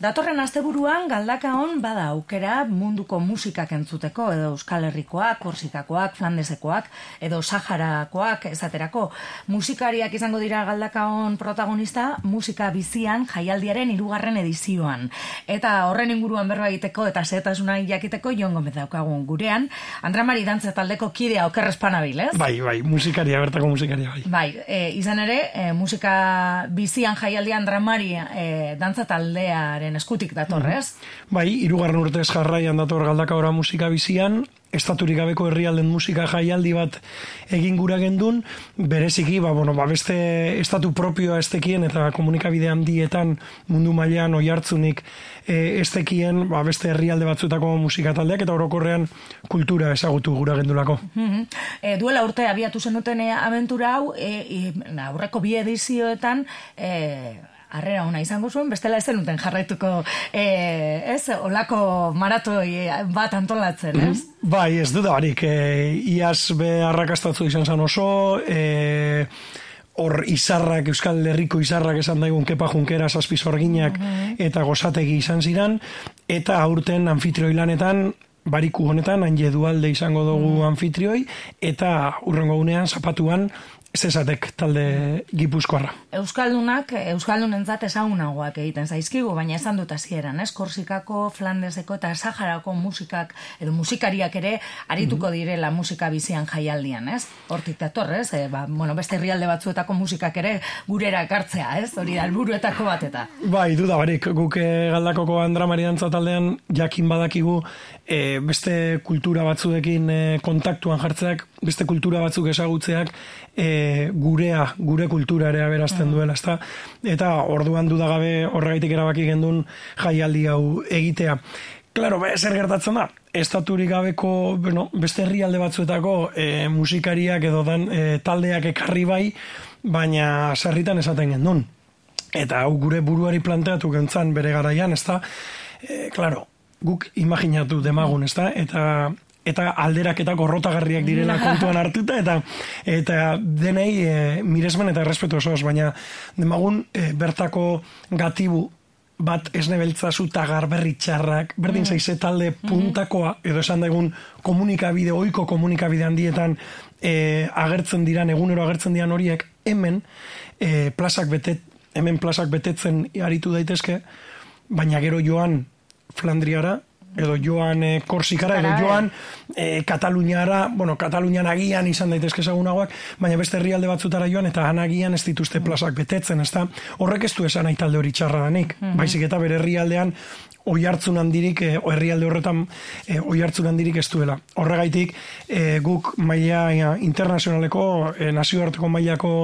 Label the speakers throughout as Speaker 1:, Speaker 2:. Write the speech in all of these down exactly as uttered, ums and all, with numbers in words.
Speaker 1: Datorren asteburuan Galdakaon bada aukera munduko musikak entzuteko, edo Euskal Herrikoak, Korsikakoak, Flandesekoak, edo Saharakoak esaterako. Musikariak izango dira Galdakaon protagonista musika bizian jaialdiaren hirugarren edizioan. Eta horren inguruan berba egiteko eta xehetasuna jakiteko Jon Gomez daukagun gurean. Andra Mari dantza taldeko kidea oker espanabil, ez?
Speaker 2: Bai, bai, musikaria, bertako musikaria, bai.
Speaker 1: Bai, e, izan ere, e, musika bizian jaialdian Andra Mari e, dantza taldearen eskutik datorrez.
Speaker 2: Bai, hirugarren urtez jarraian dator Galdakaora musika bizian, estaturik gabeko herrialden musika jaialdi bat egin gura gendun, bereziki, ba, bueno, ba, beste estatu propioa estekien eta komunikabide handietan mundu mailean oihartzunik e, estekien, ba, beste herrialde batzuetako musika taldeak eta orokorrean kultura ezagutu gura gendulako.
Speaker 1: Mm-hmm. e, duela urte abiatu zenuten e, abentura hau, e, e, aurreko bi edizioetan, e, harrera ona izango zuen, bestela ez zenuten jarraituko eh, ez, olako maratoi bat antolatzen, ez?
Speaker 2: Bai, ez dudarik, e, iaz be arrakastatzu izan zan oso, e, hor izarrak, Euskal Herriko izarrak esan daigun Kepa Junkera, Zazpi Zorginak eta Gozategi izan ziran, eta aurten anfitrioi lanetan, bariku honetan, Anje Dualde izango dugu anfitrioi, eta urrengo gunean, zapatuan, Zezatek talde gipuzkoarra.
Speaker 1: Euskaldunak, Euskaldunentzat ezagunagoak egiten zaizkigu, baina esan dut hasieran, ez? Korsikako, Flandeseko eta Saharako musikak, edo musikariak ere arituko direla musika bizian jaialdian, ez? Hortik datorrez, e, ba, bueno, beste herrialde batzuetako musikak ere gurera ekartzea, ez? Hori da helburuetako bat eta.
Speaker 2: Bai, duda barik, guk Galdakoko Andra Mari dantza taldean jakin badakigu e, beste kultura batzuekin e, kontaktuan jartzeak, beste kultura batzuk ezagutzeak, e, gurea, gure kultura ere aberazten duela, ezta? Eta orduan dudagabe horregaitik erabaki gendun jaialdi hau egitea. Claro, zer gertatzen da? Estaturik gabeko, bueno, beste herrialde batzuetako e, musikariak edo dan, e, taldeak ekarri bai, baina sarritan esaten gendun. Eta hau gure buruari planteatu gentzan bere garaian, ezta? E, claro, guk imaginatu demagun, ezta? Eta eta alderak eta gorrotagarriak direla kontuan hartuta, eta eta denei e, miresmen eta errespetu osoz, baina demagun e, bertako gatibu bat esnebeltzazu eta garberri txarrak, berdin zaize talde puntakoa, edo esan daigun komunikabide, oiko komunikabide handietan e, agertzen diran, egunero agertzen diran horiek, hemen e, plazak betet, hemen plazak betetzen aritu daitezke, baina gero joan Flandriara, edo joan e, Korsikara, edo joan e, Kataluniara, bueno, Katalunian agian izan daitezke ezagunagoak, baina beste herrialde batzutara joan, eta han agian ez dituzte plazak betetzen, ezta? Horrek ez du esan nahi talde hori txarra danik, baizik eta bere herrialdean oihartzun handirik, e, herrialde horretan e, oihartzun handirik ez duela. Horregaitik, e, guk maila internazionaleko, e, nazioarteko mailako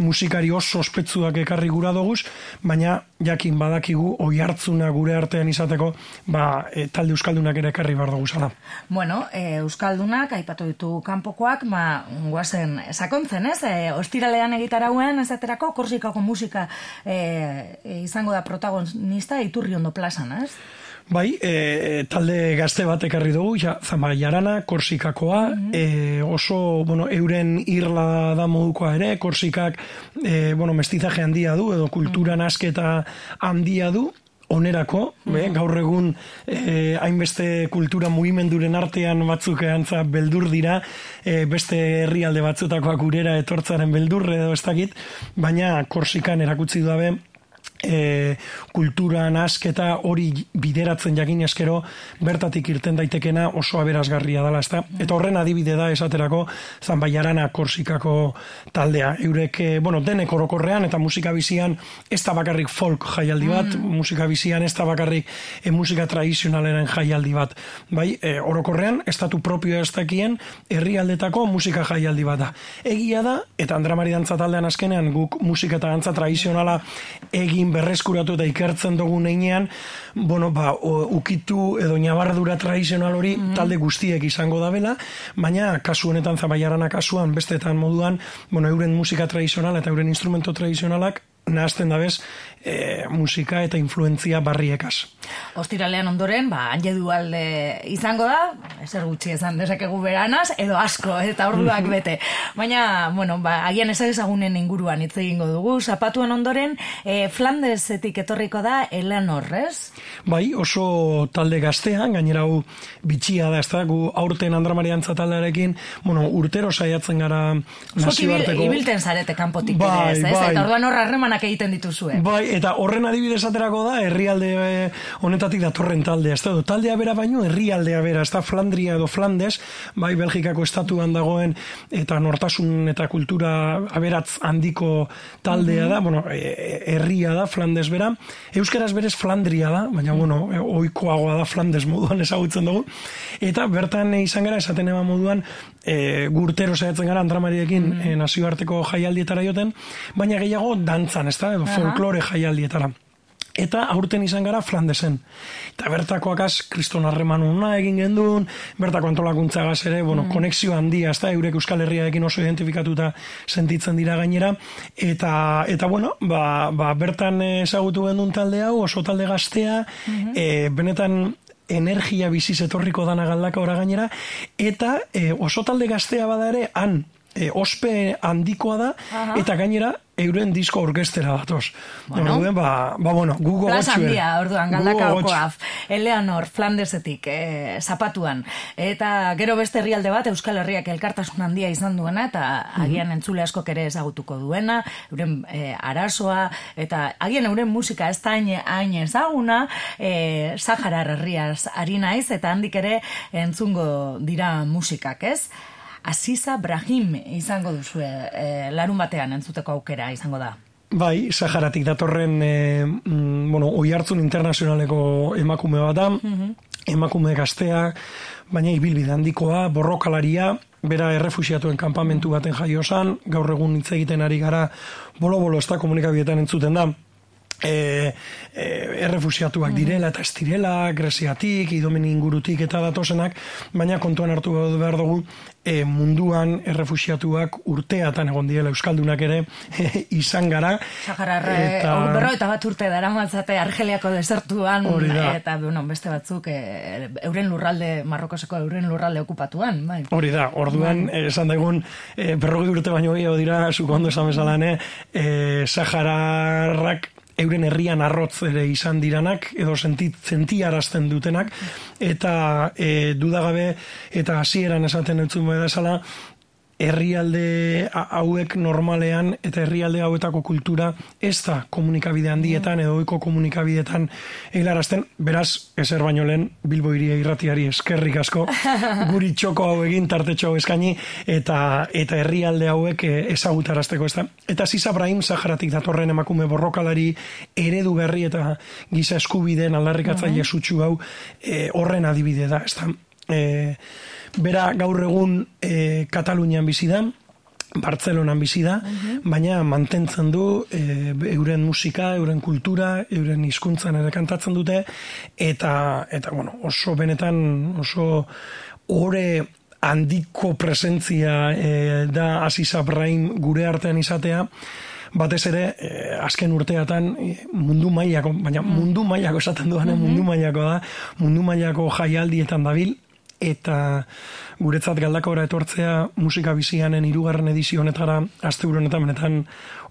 Speaker 2: musikari oso ospetsuak ekarri gura doguz, baina jakin badakigu oihartzuna gure artean izateko, ba, e, talde euskaldunak ere ekarri bar dugu zala.
Speaker 1: Bueno, e, euskaldunak, aipatu ditu kanpokoak, ba, guazen sakontzen, ez? E, ostiralean egitarauen, esaterako, Korsikako musika e, e, izango da protagonista Iturriondo plazan, ez?
Speaker 2: Bai, e, talde gazte bat ekarri dugu, ja, Zamaiarana, Korsikakoa, mm-hmm. e, oso, bueno, euren irla da modukoa ere, Korsikak, e, bueno, mestizaje handia du, edo kultura nasketa handia du, onerako, be, gaur egun eh, hainbeste kultura mugimenduren artean batzuk antza beldur dira, eh, beste herrialde batzutakoak gurera etortzaren beldurre edo ez dakit, baina Korsikan erakutsi du dabe, E, kultura nasketa hori bideratzen jakin eskero bertatik irten daitekena oso aberasgarria dela, ezta? Eta horren adibide da esaterako Zanbaiarana Korsikako taldea. Eurek, e, bueno, denek orokorrean eta musika bizian ez da bakarrik folk jaialdi bat, mm. musika bizian ez da bakarrik e, musika tradizionalaren jaialdi bat. Bai, e, orokorrean estatu propioa ez dakien herrialdetako musika jaialdi bat da. Egia da, eta Andra Mari dantza taldean azkenean guk musika eta dantza tradizionala egin berreskuratu eta ikertzen dugun einean, bueno, ba, o, ukitu edo nabardura tradizional hori mm-hmm. talde guztiek izango dabela, baina kasu honetan Zabaiarana kasuan, bestetan moduan, bueno, euren musika tradizional eta euren instrumento tradizionalak nahazten dabez e, musika eta influentzia barriekaz.
Speaker 1: Ostiralean ondoren, ba, anje dualde izango da, ezer gutxi esan dezakegu beranaz, edo asko, eta orduak bete. Baina, bueno, ba, agian ezagunen inguruan hitz egingo dugu, zapatuen ondoren, e, Flandesetik etorriko da Eleanor, ez?
Speaker 2: Bai, oso talde gaztean, gainera hau bitxia da, ez da, gu aurten Andra Mariantza taldearekin, bueno, urtero saiatzen gara nazioarteko.
Speaker 1: Ibilten zarete kanpotik
Speaker 2: bai,
Speaker 1: ere, ez?
Speaker 2: Bai.
Speaker 1: Eta orduan horra harremanak egiten dituzue.
Speaker 2: Bai, eta horren adibidez aterako da, herrialde honetatik datorren taldea, ez da, taldea bera baino, herrialdea bera, ez da, Flandria edo Flandes, bai, Belgikako estatuan dagoen, eta nortasun eta kultura aberatz handiko taldea mm-hmm. da, bueno, herria da, Flandes bera, euskaraz berez Flandria da, baina, bueno, ohikoagoa da Flandes moduan ezagutzen dugu, eta bertan izan gara, esaten eba moduan, e, gurtero saiatzen gara Andra Mariekin mm-hmm. e, nazioarteko jaialdietara joten, baina gehiago dantzan, ez da, edo folklore jaialdietara. Eta aurten izan gara Flandesen. Eta bertakoakaz kriston harreman una egin gendun, bertako antolakuntzagaz ere, bueno, mm. konexio handia, ez da, eurek Euskal Herriarekin oso identifikatuta sentitzen dira gainera, eta, eta bueno, ba, ba, bertan ezagutu gendun talde hau, oso talde gaztea, mm-hmm. e, benetan energia biziz etorriko dana Galdaka ora gainera, eta e, oso talde gaztea bada ere, han, e, ospe handikoa da, aha. eta gainera, euren disko orkestera datoz.
Speaker 1: Bueno,
Speaker 2: Orduen, ba, ba, bueno, gugo
Speaker 1: Plaza
Speaker 2: gotxue.
Speaker 1: handia, orduan, Galdaka okoaf. Eleanor, Flandesetik, eh, zapatuan. Eta gero beste herrialde bat, Euskal Herriak elkartasun handia izan duena, eta agian entzule askok ere ezagutuko duena, euren eh, arazoa, eta agian euren musika ez da hain ezaguna, eh, Saharar herriaz ari naiz, eta handik ere entzungo dira musikak, ez? Aziza Brahim izango duzu e, larun batean entzuteko aukera izango da.
Speaker 2: Bai, Saharatik datorren e, mm, bueno, Oihartzun internazionaleko emakume bat da, mm-hmm. emakume gaztea, baina ibilbide handikoa, borrokalaria, bera errefuxiatuen kanpamentu baten jaio zan, gaur egun hitz egiten ari gara, bolo-bolo ez da komunikabietan entzuten da, E, e, errefusiatuak direla eta ez direla, Greziatik, Idomen ingurutik eta datozenak, baina kontuan hartu behar dugu e, munduan errefusiatuak urteatan egon diela euskaldunak ere e, izan gara.
Speaker 1: Sahararre, eta... berro eta bat urte dara matzate Argeliako desertuan, eta bueno, beste batzuk e, euren lurralde, Marrokoseko euren lurralde okupatuan. Bai.
Speaker 2: Hori da, orduan, bai. esan daigun, e, berrogei urte baino gehiago dira, zuko ondo esan bezalane, e, Sahararrak euren herrian arrotz ere izan diranak, edo sentit, sentiarazten dutenak, eta e, dudagabe, eta hasieran esaten entzun beda esala, herrialde hauek normalean, eta herrialde hauetako kultura ez da komunikabide handietan, edo ohiko komunikabideetan eilarazten, beraz, ezer baino lehen, Bilbo Hiria Irratiari eskerrik asko, guri txoko hau egin, tartetxo hau eskaini, eta, eta herrialde hauek ezagutarazteko ez da. Eta Aziza Brahim, Saharatik datorren emakume borrokalari, eredu berri eta giza eskubideen aldarrikatzaile sutsu hau, e, horren adibide da, ez da. E, bera gaur egun e, Katalunian bizi da, Bartzelonan bizi da, uh-huh. baina mantentzen du e, euren musika, euren kultura, euren hizkuntzan ere kantatzen dute, eta, eta bueno, oso benetan, oso ore handiko presentzia e, da Aziza Brahim gure artean izatea, batez ere, eh, azken urteatan mundu mailako, baina mundu mailako esaten duan, uh-huh. mundu mailako da, mundu mailako jaialdietan dabil, eta guretzat Galdakora etortzea musika bizianen hirugarren edizio honetara asteburu honetan benetan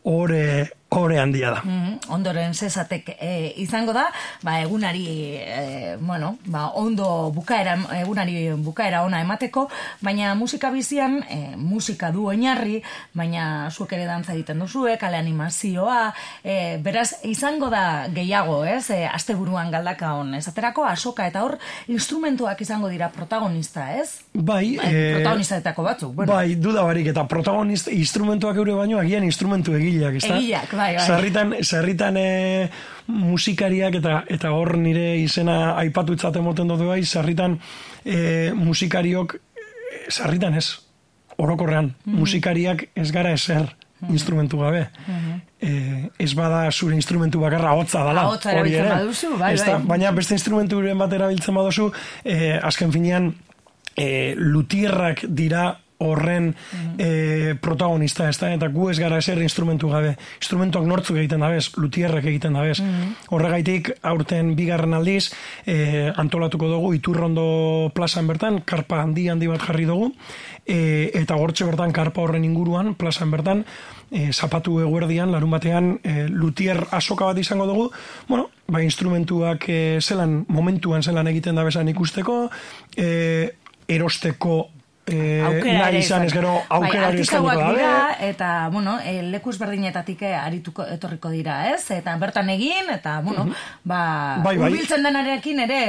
Speaker 2: ore ore handia da.
Speaker 1: Mm, ondoren zezatek e, izango da, ba egunari e, bueno, ba ondo bukaera egunari bukaera ona emateko, baina musika bizian e, musika du oinarri, baina zuek ere dantza egiten duzue, kale animazioa, e, beraz izango da gehiago, ez? E, asteburuan Galdakaon esaterako asoka eta hor instrumentuak izango dira protagonista, ez?
Speaker 2: Bai,
Speaker 1: e, protagonistatako batzuk, bueno.
Speaker 2: Bai, duda barik eta protagonista instrumentuak eure baino agian instrumentu egileak, ezta?
Speaker 1: Egileak, bai, bai.
Speaker 2: Sarritan, sarritan e, musikariak eta eta hor nire izena aipatu itzate moten dut bai, sarritan e, musikariok, sarritan ez, orokorrean, mm-hmm. musikariak ez gara ezer mm-hmm. instrumentu gabe. Mm-hmm. E, ez bada zure instrumentu bakarra hotza dala.
Speaker 1: Hotza erabiltzen baduzu, bai, bai.
Speaker 2: Baina beste instrumenturen bat erabiltzen baduzu, e, azken finean, e, lutierrak dira horren e, protagonista, ez da? Eta gu ez gara ezer instrumentu gabe. Instrumentuak nortzuk egiten dabez, lutierrek egiten dabez. Horregaitik, aurten bigarren aldiz, e, antolatuko dugu, Iturrondo plazan bertan, karpa handi handi bat jarri dugu, e, eta gortxe bertan, karpa horren inguruan, plazan bertan, e, zapatu eguerdian, larun batean, e, lutier asoka bat izango dugu, bueno, ba, instrumentuak e, zelan, momentuan zelan egiten dabezan ikusteko, e, erosteko Eh, nahi izan ez gero aukerari eskainiko
Speaker 1: da. Eta, bueno, e, leku ezberdinetatik arituko etorriko dira, ez? Eta bertan egin, eta, bueno, uh -huh. ba, bai, bai. Urbiltzen denarekin ere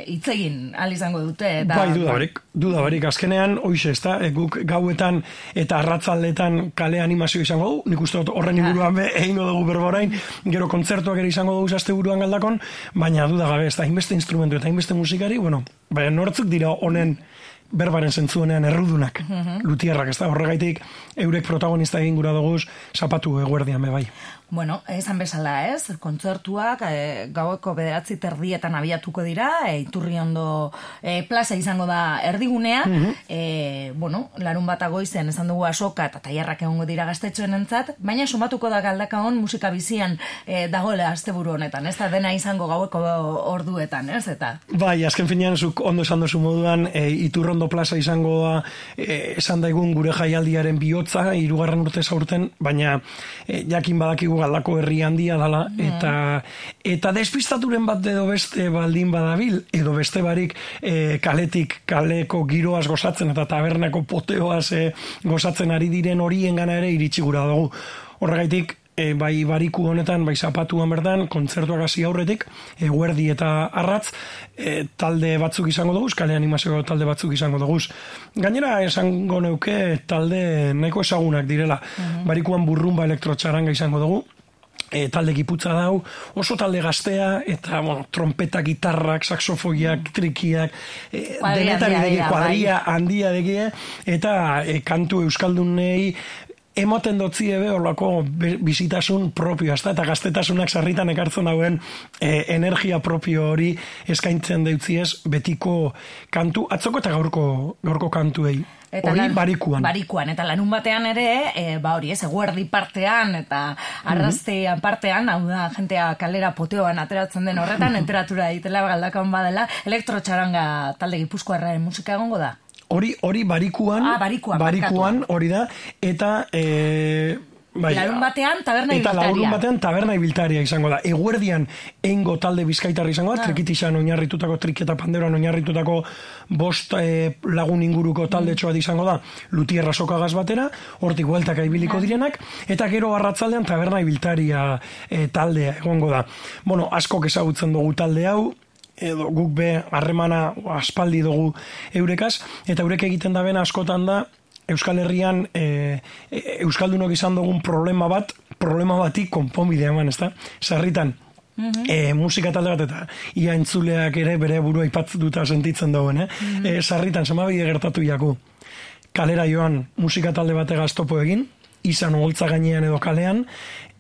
Speaker 1: hitz e, egin ahal izango dute. Eta,
Speaker 2: bai, dudabarik, dudabarik. Azkenean, hoize, ez da, e, guk gauetan eta arratzaldetan kale animazio izango du, nik uste horren inguruan be, egingo dugu berborain, gero kontzertuak ere izango dugu zazte buruan Galdakon, baina dudagabe, ez da, inbeste instrumentu eta inbeste musikari, bueno, baina nortzuk dira honen berbaren zentzuenean errudunak, uh-huh. lutierrak, ez da, horregaitik eurek protagonista egin gura duguz, zapatu eguerdian be bai.
Speaker 1: Bueno, esan bezala, ez? Kontzertuak e, gaueko bederatzi terdietan abiatuko dira, e, Iturriondo e, plaza izango da erdigunea, uh-huh. e, bueno, larun bat agoizen esan dugu asoka eta tailarrak egongo dira gaztetxoen entzat, baina sumatuko da Galdakaon musika bizian e, dagoela asteburu honetan, ez da dena izango gaueko orduetan, ez? Eta
Speaker 2: bai, azken finean, zuk ondo esan dozu moduan, e, Iturrondo plaza izango da, e, esan daigun gure jaialdiaren bihotza, hirugarren urte zaurten, baina e, jakin badakigu Galdako herri handia dala, eta eta despistaturen bat edo beste baldin badabil, edo beste barik e, kaletik kaleko giroaz gozatzen eta tabernako poteoaz e, gozatzen ari diren horien gana ere iritsi gura dugu. Horregaitik, e, bai bariku honetan, bai zapatuan bertan, kontzertuak hasi aurretik, eguerdi eta arratz, e, talde batzuk izango dugu, kale animazio talde batzuk izango dugu. Gainera esango neuke talde nahiko ezagunak direla. Uh-huh. Barikuan burrumba elektrotxaranga izango dugu, e, talde giputza dau, oso talde gaztea, eta bueno, trompeta, gitarrak, saxofoiak, trikiak, e, denetari degi, kuadria handia degi, eta e, kantu euskaldunei ematen dotzi ebe horlako bizitasun propioa, eta gaztetasunak sarritan ekartzen dauen e, energia propio hori eskaintzen deutziez betiko kantu, atzoko eta gaurko, gaurko kantuei. Eta hori lan, barikuan.
Speaker 1: Barikuan, eta lanun batean ere, e, ba hori ez, eguerdi partean, eta arraztean partean, hau da, jentea kalera poteoan ateratzen den horretan, temperatura ditela Galdakaon badela, elektrotxaranga talde gipuzkoarraren musika egongo da?
Speaker 2: Hori, hori barikuan,
Speaker 1: ah, barikuan,
Speaker 2: barikuan hori da, eta e, bai,
Speaker 1: larun batean taberna
Speaker 2: ibiltaria. Eta larun batean taberna ibiltaria izango da. Eguerdian eingo talde bizkaitarra izango da, ah. trikitixan oinarritutako, triketa panderoan oinarritutako bost e, lagun inguruko talde txoat izango da, lutierra sokagaz batera, hortik gueltaka ibiliko direnak, eta gero arratzaldean taberna ibiltaria e, taldea egongo da. Bueno, askok ezagutzen dugu talde hau, edo guk be harremana aspaldi dugu eurekaz, eta eurek egiten da bena askotan da Euskal Herrian e, e, Euskaldunok izan dugun problema bat, problema batik konponbidea eman, ezta? Sarritan, mm-hmm. e, musika talde bat eta ia entzuleak ere bere burua ipatzuta sentitzen dauen, eh? Mm-hmm. e, sarritan, zemabide gertatu jaku. Kalera joan musika talde bategaz topo egin, izan oholtza gainean edo kalean,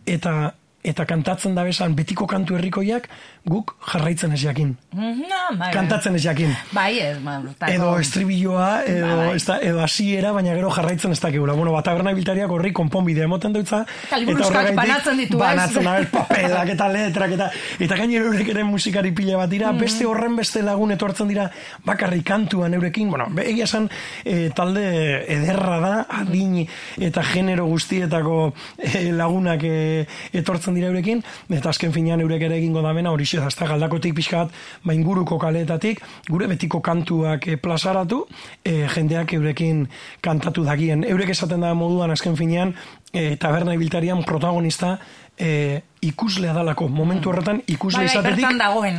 Speaker 2: eta eta kantatzen da bezan betiko kantu herrikoiak guk jarraitzen ez jakin.
Speaker 1: No, bai,
Speaker 2: kantatzen ez jakin.
Speaker 1: Bai, ez, ma,
Speaker 2: edo estribilloa, edo, bai. ez da, edo hasiera, baina gero jarraitzen ez dakegula. Bueno, bat taberna ibiltariak horri konponbidea emoten deutza.
Speaker 1: Eta liburuzkak banatzen ditu, ez?
Speaker 2: Banatzen, abez, papelak eta letrak, eta eta gainera eurek ere musikari pila bat dira, mm. beste horren beste lagun etortzen dira bakarrik kantuan eurekin. Bueno, egia esan e, talde ederra da, adin eta genero guztietako e, lagunak e, etortzen dira eurekin, eta azken finean eurek ere egingo da bena, hori xe, azta Galdakotik pixka bat, ba inguruko kaleetatik, gure betiko kantuak e, plazaratu, e, jendeak eurekin kantatu dagien. Eurek esaten da moduan azken finean, e, taberna ibiltarian protagonista e, ikuslea dalako, momentu horretan ikusle izatetik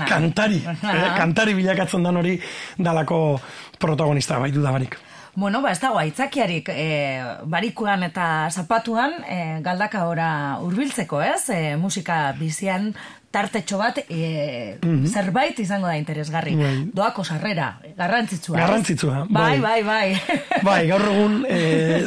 Speaker 2: kantari, e, kantari bilakatzen dan hori dalako protagonista, bai dudabarik.
Speaker 1: Bueno, ba, ez dago aitzakiarik e, barikuan eta zapatuan e, Galdakaora hurbiltzeko, ez? E, musika bizian tartetxo bat e, mm-hmm. zerbait izango da interesgarri. Bai. Doako sarrera, garrantzitsua.
Speaker 2: Garrantzitsua.
Speaker 1: Bai, bai, bai.
Speaker 2: Bai, gaur egun e,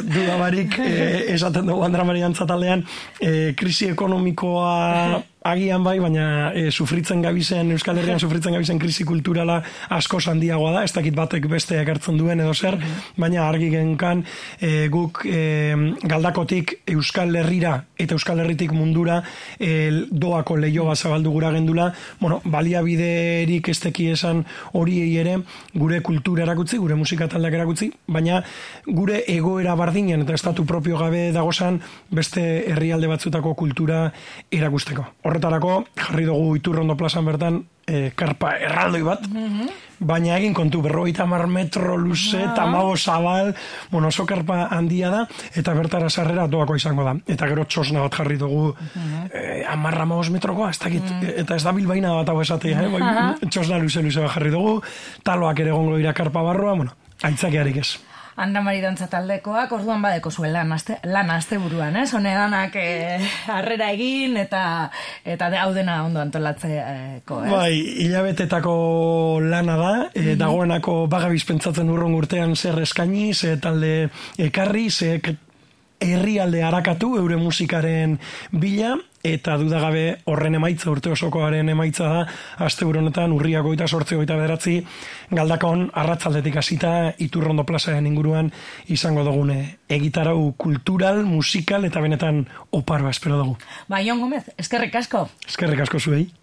Speaker 2: dudabarik e, esaten dugu Andra Mariantza taldean e, krisi ekonomikoa agian bai, baina e, sufritzen gabizen, Euskal Herrian sufritzen gabizen krisi kulturala asko handiagoa da, ez dakit batek beste ekartzen duen edo zer, baina argi genkan e, guk e, Galdakotik Euskal Herrira eta Euskal Herritik mundura e, doako lehioa zabaldu gura gendula, bueno, baliabiderik ez teki esan horiei ere gure kultura erakutzi, gure musika taldeak erakutzi, baina gure egoera bardinen eta estatu propio gabe dagozan beste herrialde batzutako kultura erakusteko. Horretarako, jarri dugu Iturrondo plazan bertan e, karpa erraldoi bat, mm-hmm. baina egin kontu berrogeita hamar metro luze, ah. tamago zabal, bueno, oso karpa handia da, eta bertara sarrera doako izango da. Eta gero txosna bat jarri dugu, mm-hmm. e, amarra maoz metrokoa, ez dakit, mm. eta ez da bilbaina bat hau esatea, eh? Bai, txosna luze-luze bat jarri dugu, taloak ere gongo dira karpa barroa, bueno, aitzakearik ez.
Speaker 1: Andra Mari dantza taldekoak, orduan badeko zuen lan aste, lan aste buruan, ez? Hone danak eh, harrera egin eta eta hau dena ondo antolatzeko, ez?
Speaker 2: Bai, hilabetetako lana da, e, mm-hmm. dagoenako bagabiz pentsatzen urron urtean zer eskaini, ze talde ekarri, ze herrialde harakatu eure musikaren bila, eta dudagabe horren emaitza, urte osokoaren emaitza da, asteburu honetan urriak goita sortzi goita bederatzi, Galdakon arratzaldetik hasita Iturrondo plazaren inguruan izango dugune egitarau kultural, musikal eta benetan oparoa espero dugu.
Speaker 1: Ba, Jon Gomez, eskerrik asko.
Speaker 2: Eskerrik asko zuei.